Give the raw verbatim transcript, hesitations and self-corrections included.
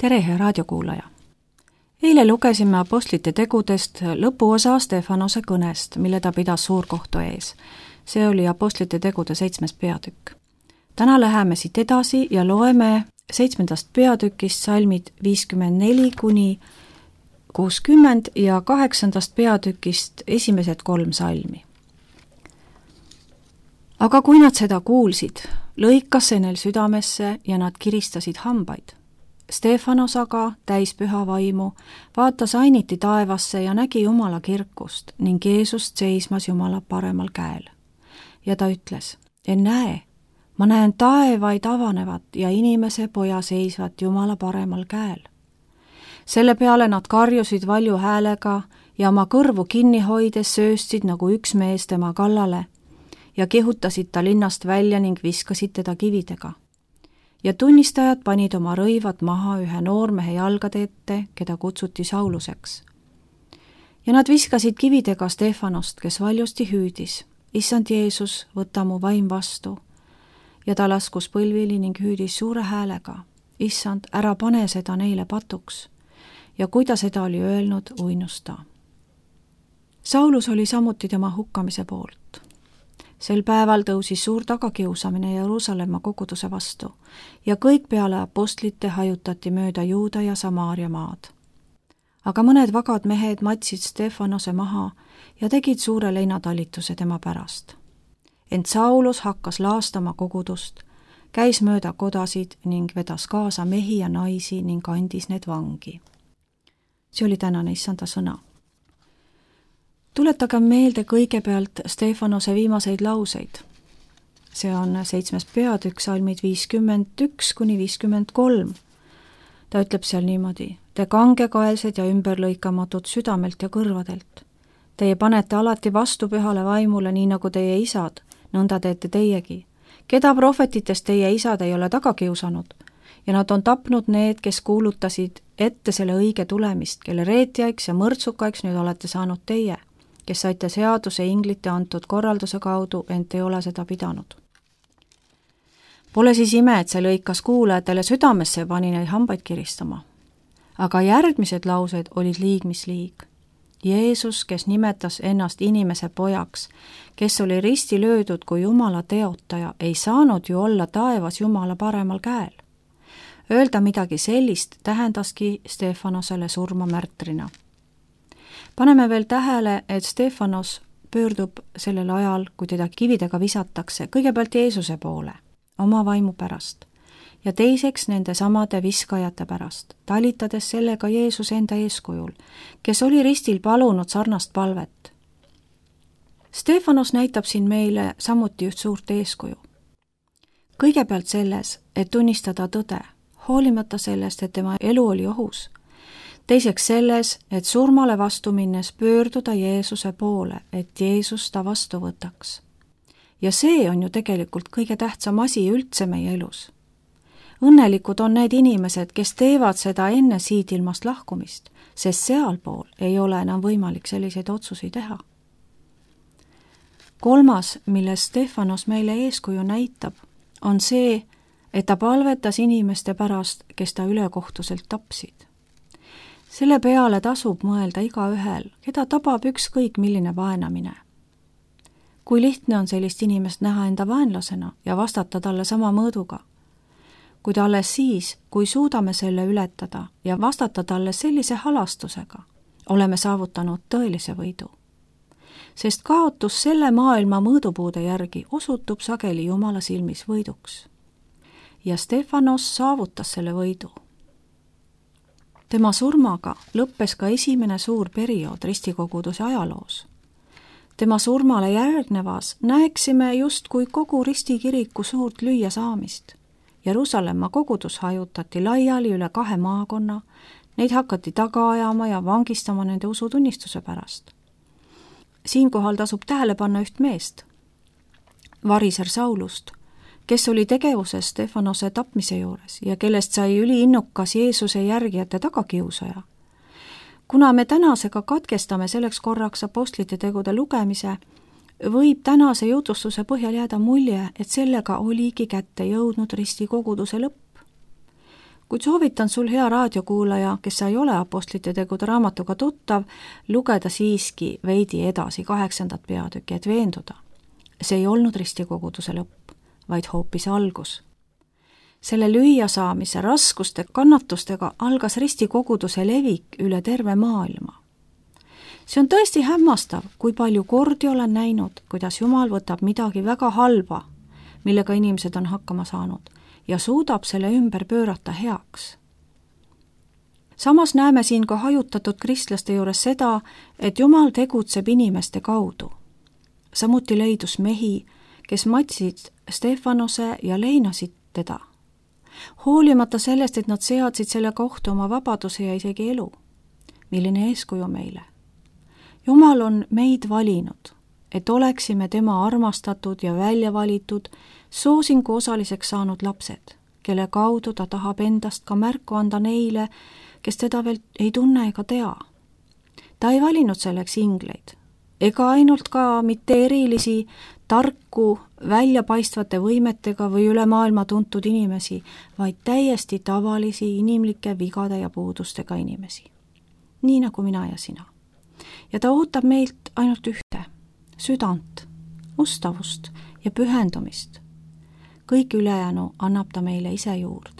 tere, hea raadiokuulaja! Eile lugesime apostlite tegudest lõpuosa Stefanose kõnest, mille ta pidas suurkohtu ees. See oli apostlite tegude seitsmes peatükk. Täna läheme siit edasi ja loeme seitsmendast peatükist salmid viiskümmend neli kuni kuuskümmend ja kaheksandast peatükist esimesed kolm salmi. Aga kui nad seda kuulsid, lõikas see neil südamesse ja nad kiristasid hambaid. Stefanos aga, täis püha vaimu, vaatas ainiti taevasse ja nägi Jumala kirkust ning Jeesust seismas Jumala paremal käel. Ja ta ütles, en näe, ma näen taevaid avanevat ja inimese poja seisvat Jumala paremal käel. Selle peale nad karjusid valju häälega ja oma kõrvu kinni hoides sööstsid nagu üks mees tema kallale ja kihutasid ta linnast välja ning viskasid teda kividega. Ja tunnistajad panid oma rõivad maha ühe noormehe jalgade ette, keda kutsuti Sauluseks. Ja nad viskasid kividega Stefanost, kes valjusti hüüdis, Issand Jeesus, võta mu vaim vastu. Ja ta laskus põlvili ning hüüdis suure häälega, Issand, ära pane seda neile patuks. Ja kui ta seda oli öelnud, uinus ta. Saulus oli samuti tema hukkamise poolt. Sel päeval tõusis suur tagakiusamine Jeruusalemma koguduse vastu ja kõik peale apostlite hajutati mööda Juuda ja Samaaria maad. Aga mõned vagad mehed matsid Stefanose maha ja tegid suure leinatalituse tema pärast. Ent Saulus hakkas laastama kogudust, käis mööda kodasid ning vedas kaasa mehi ja naisi ning andis need vangi. See oli tänane issanda sõna. Tuletage meelde kõigepealt Stefanose viimaseid lauseid. See on seitsmes peatükk, salmid viiskümmend üks kuni viiskümmend kolm. Ta ütleb seal niimoodi, te kangekaelsed ja ümberlõikamatud südamelt ja kõrvadelt. Teie panete alati vastu pühale vaimule, nii nagu teie isad, nõnda teete teiegi. Keda prohvetitest teie isad ei ole taga kiusanud? Ja nad on tapnud need, kes kuulutasid ette selle õige tulemist, kelle reetjaiks ja mõrtsukaiks nüüd olete saanud teie, kes saite seaduse inglite antud korralduse kaudu, ent ei ole seda pidanud. Pole siis ime, et see lõikas kuulajatele südamesse ja pani neid hambaid kiristama. Aga järgmised laused olid liig mis liig. Jeesus, kes nimetas ennast inimese pojaks, kes oli risti löödud kui Jumala teotaja, ei saanud ju olla taevas Jumala paremal käel. Öelda midagi sellist tähendaski Stefanosele surma märtrina. Paneme veel tähele, et Stefanos pöördub sellel ajal, kui teda kividega visatakse, kõigepealt Jeesuse poole, oma vaimu pärast, ja teiseks nende samade viskajate pärast, talitades sellega Jeesuse enda eeskujul, kes oli ristil palunud sarnast palvet. Stefanos näitab siin meile samuti üht suurt eeskuju. Kõigepealt selles, et tunnistada tõde, hoolimata sellest, et tema elu oli ohus. Teiseks selles, et surmale vastu minnes pöörduda Jeesuse poole, et Jeesus ta vastu võtaks. Ja see on ju tegelikult kõige tähtsam asi üldse meie elus. Õnnelikud on need inimesed, kes teevad seda enne siit ilmast lahkumist, sest sealpool ei ole enam võimalik selliseid otsusi teha. Kolmas, milles Stefanos meile eeskuju näitab, on see, et ta palvetas inimeste pärast, kes ta ülekohtuselt tapsid. Selle peale tasub mõelda igaühel, keda tabab ükskõik milline vaenamine. Kui lihtne on sellist inimest näha enda vaenlasena ja vastata talle sama mõõduga, kuid alles siis, kui suudame selle ületada ja vastata talle sellise halastusega, oleme saavutanud tõelise võidu. Sest kaotus selle maailma mõõdupuude järgi osutub sageli Jumala silmis võiduks. Ja Stefanos saavutas selle võidu. Tema surmaga lõppes ka esimene suur periood ristikoguduse ajaloos. Tema surmale järgnevas näeksime just kui kogu ristikiriku suurt lüüa saamist. Jeruusalemma kogudus hajutati laiali üle kahe maakonna, neid hakati taga ajama ja vangistama nende usutunnistuse pärast. Siinkohal tasub tähele panna üht meest, variser Saulust, kes oli tegevuses Stefanose tapmise juures ja kellest sai üliinnukas Jeesuse järgijate tagakiusaja. Kuna me tänasega katkestame selleks korraks apostlite tegude lugemise, võib tänase jutustuse põhjal jääda mulje, et sellega oligi kätte jõudnud ristikoguduse lõpp. kuid soovitan sul, hea raadiokuulaja, kes sa ei ole Apostlite tegude raamatuga tuttav, lugeda siiski veidi edasi kaheksandat peatükki, et veenduda. See ei olnud ristikoguduse lõpp, vaid hoopis algus. Selle lüüasaamise raskuste kannatustega algas ristikoguduse levik üle terve maailma. See on tõesti hämmastav, kui palju kordi olen näinud, kuidas Jumal võtab midagi väga halba, millega inimesed on hakkama saanud, ja suudab selle ümber pöörata heaks. Samas näeme siin ka hajutatud kristlaste juures seda, et Jumal tegutseb inimeste kaudu. Samuti leidus mehi, kes matsid Stefanose ja leinasid teda. Hoolimata sellest, et nad seadsid selle kohta oma vabaduse ja isegi elu. Milline eeskuju meile? Jumal on meid valinud, et oleksime tema armastatud ja välja valitud soosingu osaliseks saanud lapsed, kelle kaudu ta tahab endast ka märku anda neile, kes teda veel ei tunne ega tea. Ta ei valinud selleks ingleid, ega ainult ka mitte erilisi, tarku, väljapaistvate võimetega või üle maailma tuntud inimesi, vaid täiesti tavalisi inimlike vigade ja puudustega inimesi. Nii nagu mina ja sina. Ja ta ootab meilt ainult ühte, südant, ustavust ja pühendumist. Kõik ülejäänu annab ta meile ise juurde.